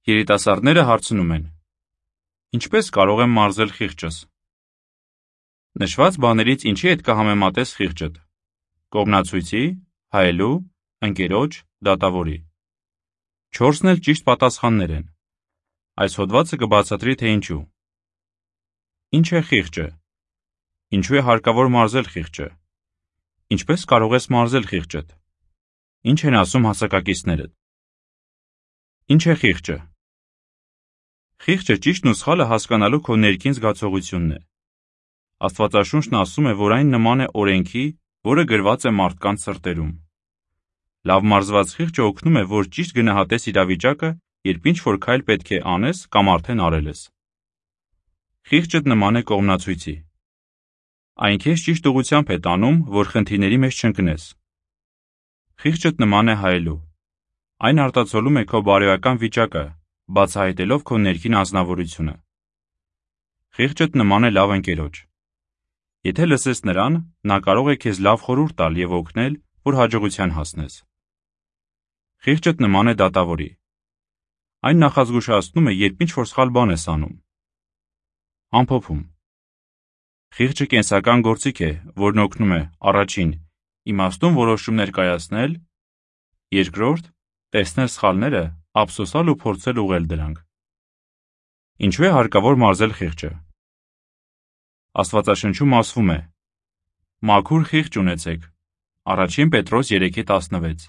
Երիտասարդները հարցնում են. Ինչպես կարող եմ մարզել խիղճս։ Նշված բաներից ինչի հետ կհամեմատես խիղճդ։ Կողմնացույցի, հայելու, ընկերոջ, դատավորի։ 4-ն էլ ճիշտ պատասխաններ են։ Այս հոդվածը կբացատրի, թե ինչու։ Ինչ է խիղճը։ Ինչու է հարկավոր մարզել խիղճը։ Ինչպես կարող ես մարզել խիղճդ։ Ինչ են ասում հասակակիցներդ։ Ինչ է խիղճը։ Խիղճը ճիշտն ու սխալը հասկանալու քո ներքին զգացողությունն է։ Աստվածաշունչն ասում է, որ այն նման է օրենքի, որը գրված է մարդկանց սրտերում։ Լավ մարզված խիղճը օգնում է, որ ճիշտ գնահատես իրավիճակը, երբ ինչ-որ քայլ պետք է անես կամ արդեն արել ես։ Խիղճդ նման է կողմնացույցի։ Այն քեզ ճիշտ ուղղությամբ է տանում, որ խնդիրների մեջ չընկնես։ Խիղճդ նման է հայելու։ Այն արտացոլում է քո բարոյական վիճակը, բացահայտելով քո ներքին անձնավորությունը։ Խիղճդ նման է լավ ընկերոջ։ Եթե լսես նրան, նա կարող է քեզ լավ խորհուրդ տալ և օգնել, որ հաջողության հասնես։ Խիղճդ նման է դատավորի։ Այն նախազգուշացնում է, երբ ինչ-որ սխալ բան ես անում։ Ամփոփում։ Խիղճը կենսական գործիք է, որն օգնում է առաջին՝ իմաստուն որոշումներ կայացնել, երկրորդ՝ տեսնել սխալները, ափսոսալ ու փորձել ուղղել դրանք։ Ինչու է հարկավոր մարզել խիղճը։ Աստվածաշնչում ասվում է. «Մաքուր խիղճ ունեցեք» Առաջին Պետրոս 3:16։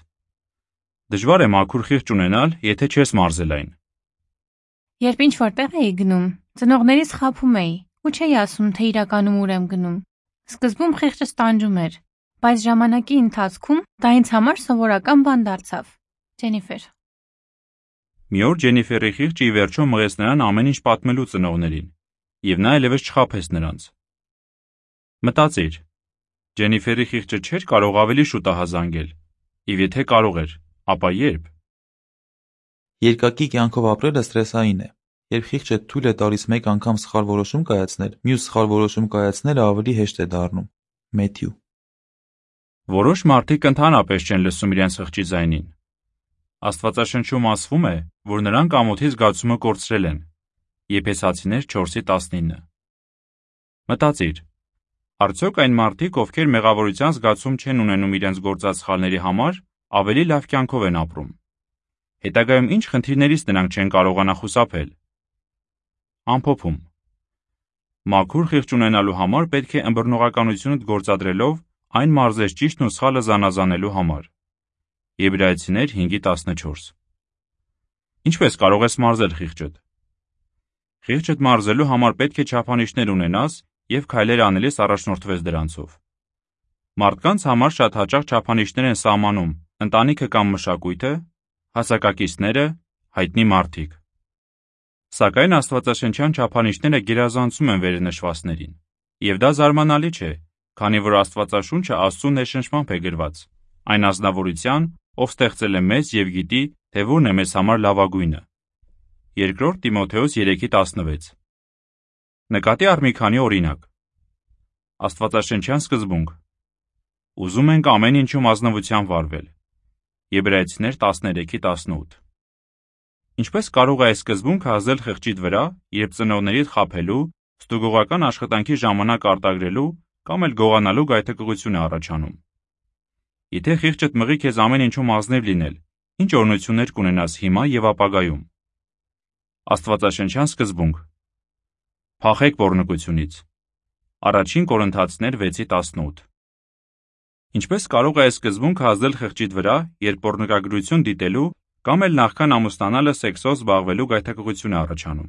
Դժվար է մաքուր խիղճ ունենալ, եթե չես մարզել այն։ Երբ ինչ-որ տեղ էի գնում, ծնողներիս խաբում էի ու չէի ասում, թե իրականում ուր եմ գնում։ Սկզբում խիղճս տանջում էր, բայց ժամանակի ընթացքում դա ինձ համար սովորական բան դարձավ։ Ջենիֆեր։ Մի օր Ջենիֆերի խիղճը ի վերջո մղեց նրան ամեն ինչ պատմելու ծնողներին, և նա այլևս չխաբեց նրանց։ Մտածիր, Ջենիֆերի խիղճը չէր կարող ավելի շուտ ահազանգել, և եթե կարող էր, ապա երբ։ Երկակի կյանքով ապրելը սթրեսային է։ Երբ խիղճը թույլ է տալիս մեկ անգամ սխալ որոշում կայացնել, մյուս սխալ որոշում կայացնելը ավելի հեշտ է դառնում։ Մեթյու։ Որոշ մարդիկ ընդհանրապես չեն լսում իրենց խղճի ձայնին։ Աստվածաշնչում ասվում է, որ նրանք ամոթի զգացումը կորցրել են։ Եփեսացիներ 4:19։ Մտածիր, արդյոք այն մարդիկ, ովքեր մեղավորության զգացում չեն ունենում իրենց գործած սխալների համար, ավելի լավ կյանքով են ապրում։ Հետագայում ինչ խնդիրներից նրանք չեն կարողանա խուսափել։ Ամփոփում։ Մաքուր խիղճ ունենալու համար պետք է ըմբռնողականությունդ գործադրելով այն մարզես ճիշտն ու սխալը զանազանելու համար։ Եբրայեցիներ 5:14։ Ինչպես կարող ես մարզել խիղճդ։ Խիղճդ մարզելու համար պետք է չափանիշներ ունենաս և քայլեր անելիս առաջնորդվես դրանցով։ Մարդկանց համար շատ հաճախ չափանիշներ են սահմանում ընտանիքը կամ մշակույթը, հասակակիցները, հայտնի մարդիկ։ Սակայն աստվածաշնչյան չափանիշները գերազանցում են վերնշվածներին, և դա զարմանալի չէ, քանի որ Աստվածաշունչը Աստծու ներշնչմամբ է գրված, այն ազնվորության, ով ստեղծել է մեզ և գիտի, թե որն է մեզ համար լավագույնը։ 2 Տիմոթեոս 3:16։ Նկատի առ մի քանի օրինակ։ Աստվածաշնչյան սկզբունք։ Ուզում ենք ամեն ինչում ազնվությամբ վարվել։ Եբրայեցիներ 13:18։ Ինչպես կարող է այս սկզբունքը ազդել խղճիդ վրա, երբ ծնողներիդ խաբելու, ստուգողական աշխատանքի ժամանակ արտագրելու կամ էլ գողանալու գայթակղություն է առաջանում։ Եթե խիղճդ մղի քեզ ամեն ինչում ազնիվ լինել, ինչ օրհնություններ կունենաս հիմա և ապագայում։ Աստվածաշնչյան սկզբունք։ Փախեք պոռնկությունից։ Առաջին Կորինթացիներ 6:18։ Ինչպես կարող է այս սկզբունքը ազդել խղճիդ վրա, երբ պոռնկագրություն դիտելու կամ էլ նախքան ամուսնանալը սեքսով զբաղվելու գայթակղություն է առաջանում։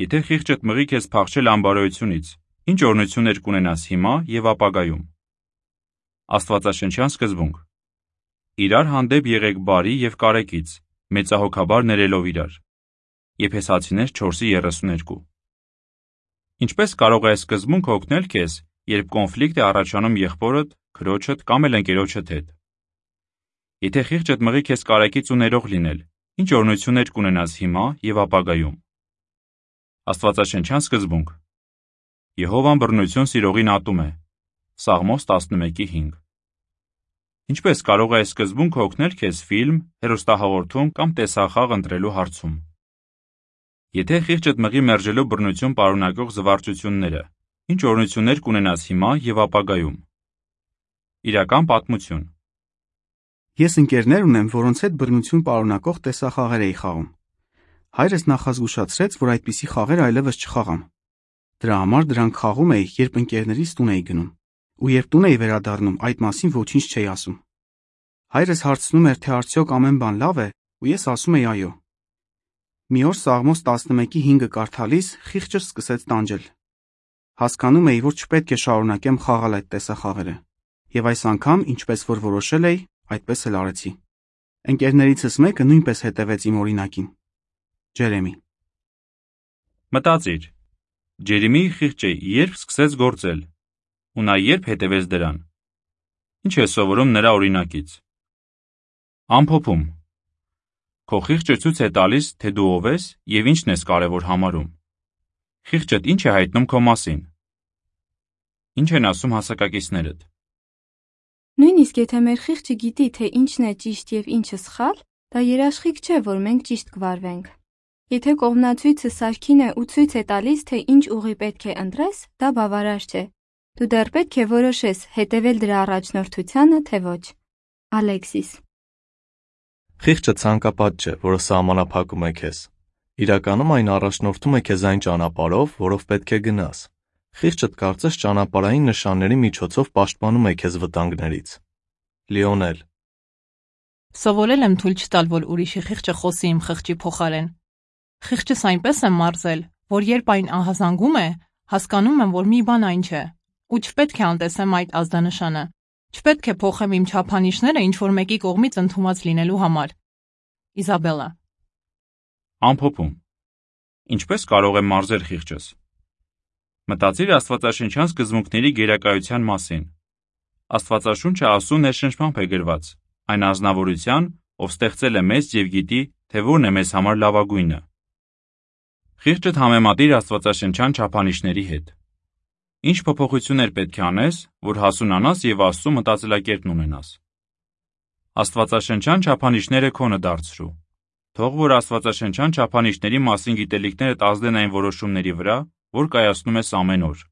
Եթե խիղճդ մղի քեզ փախչել անբարոյությունից, ինչ օրհնություններ կունենաս հիմա և ապագայում։ Աստվածաշնչյան սկզբունք։ Իրար հանդեպ եղեք բարի և կարեկից, մեծահոգաբար ներելով իրար։ Եփեսացիներ 4:32։ Ինչպես կարող է այս սկզբունքը օգնել քեզ, երբ կոնֆլիկտ է առաջանում եղբորդ, քրոջդ կամ էլ ընկերոջդ հետ։ Եթե խիղճդ մղի քեզ կարեկից ու ներող լինել, ինչ օրհնություններ կունենաս հիմա և ապագայում։ Աստվածաշնչյան սկզբունք։ Եհովան բռնություն սիրողին ատում է։ Սաղմոս 11:5։ Ինչպես կարող է այս սկզբունքը օգնել քեզ ֆիլմ, հեռուստահաղորդում կամ տեսախաղ ընտրելու հարցում։ Եթե խիղճդ մղի մերժելու բռնություն պարունակող զվարճությունները, ինչ օրհնություններ կունենաս հիմա եւ ապագայում։ Իրական պատմություն։ Ես ընկերներ ունեմ, որոնց հետ բռնություն պարունակող տեսախաղեր էի խաղում։ Հայրս նախազգուշացրեց, որ այդպիսի խաղեր այլևս չխաղամ։ Դրա համար դրանք խաղում էի, երբ ընկերներիս տուն էի գնում, ու երբ տուն էի վերադառնում, այդ մասին ոչինչ չէի ասում։ Հայրս հարցնում էր, թե արդյոք ամեն բան լավ է, ու ես ասում էի այո։ Մի օր Սաղմոս 11:5 կարդալիս խիղճս սկսեց տանջել։ Հասկանում էի, որ չպետք է շարունակեմ խաղալ այդ տեսախաղերը, եւ այս անգամ, ինչպես որ որոշել էի, այդպես էլ արեցի։ Ընկերներիցս մեկը նույնպես հետևեց իմ օրինակին։ Ջերեմի։ Մտածիր, Ջերեմիի խիղճը երբ սկսեց գործել, ու նա երբ հետևեց դրան։ Ինչ է սովորում նրա օրինակից։ Ամփոփում։ Քո խիղճը ցույց է տալիս, թե դու ով ես եւ ինչն ես կարևոր համարում։ Խիղճդ ինչ է հայտնում քո մասին։ Ինչ են ասում հասակակիցներդ։ Նույնիսկ եթե մեր խիղճը գիտի, թե ինչն է ճիշտ եւ ինչը սխալ, դա երաշխիք չէ, որ մենք ճիշտ կվարվենք։ Եթե կողմնացույցը սարքին է ու ցույց է տալիս, թե ինչ ուղի պետք է ընտրես, դա բավարար չէ։ Դու դեռ պետք է որոշես հետևել դրա առաջնորդությանը, թե ոչ։ Ալեքսիս։ Խիղճը ցանկապատ չէ, որը սահմանափակում է քեզ։ Իրականում այն առաջնորդում է քեզ այն ճանապարհով, որով պետք է գնաս։ Խիղճդ կարծես ճանապարհային նշանների միջոցով պաշտպանում է քեզ վտանգներից։ Լիոնել։ Սովորել եմ թույլ չտալ, որ ուրիշի խիղճը խոսի իմ խղճի փոխարեն։ Խիղճս այնպես եմ մարզել, որ երբ այն ահազանգում է, հասկանում եմ, որ մի բան այն չէ, ու չպետք է անտեսեմ այդ ազդանշանը։ Չպետք է փոխեմ իմ չափանիշները ինչ-որ մեկի կողմից ընդունված լինելու համար։ Իզաբելլա։ Ամփոփում։ Ինչպես կարող եմ մարզել խիղճս։ Մտածիր աստվածաշնչյան սկզբունքների գերակայության մասին։ Աստվածաշունչը Աստծո ներշնչմամբ է գրված, այն ազնվորության, ով ստեղծել է մեզ եւ գիտի, թե որն է մեզ համար լավագույնը։ Խիղճդ համեմատիր աստվածաշնչյան չափանիշների հետ։ Ինչ փոփոխություններ պետք է անես, որ հասունանաս եւ Աստծո մտածելակերպն ունենաս։ Աստվածաշնչյան չափանիշները քոնը դարձրու։ Թող որ աստվածաշնչյան չափանիշների մասին գիտելիքներդ ազդեն այն որոշումների վրա, որ կայացնում ես ամեն օր։